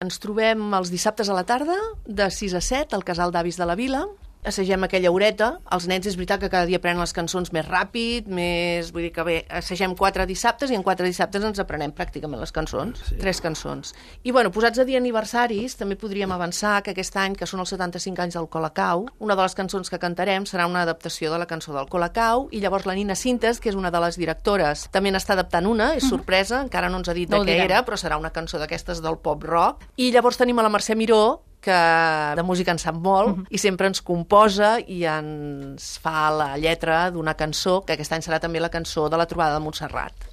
Ens trobem els dissabtes a la tarda, de 6 a 7, al Casal d'Avis de la Vila. Assagem aquella horeta. Els nens és veritat que cada dia aprenen les cançons més ràpid, vull dir que bé, assagem 4 dissabtes i en 4 dissabtes ens aprenem pràcticament les cançons, 3 cançons. I bueno, posats a dir aniversaris, també podríem avançar que aquest any, que són els 75 anys del Colacau, una de les cançons que cantarem serà una adaptació de la cançó del Colacau, i llavors la Nina Sintes, que és una de les directores, també n'està adaptant una, és sorpresa, encara no ens ha dit de què era, però serà una cançó d'aquestes del pop rock. I llavors tenim a la Mercè Miró, que de música en sap molt i sempre ens composa i ens fa la lletra d'una cançó, que aquest any serà també la cançó de la trobada de Montserrat.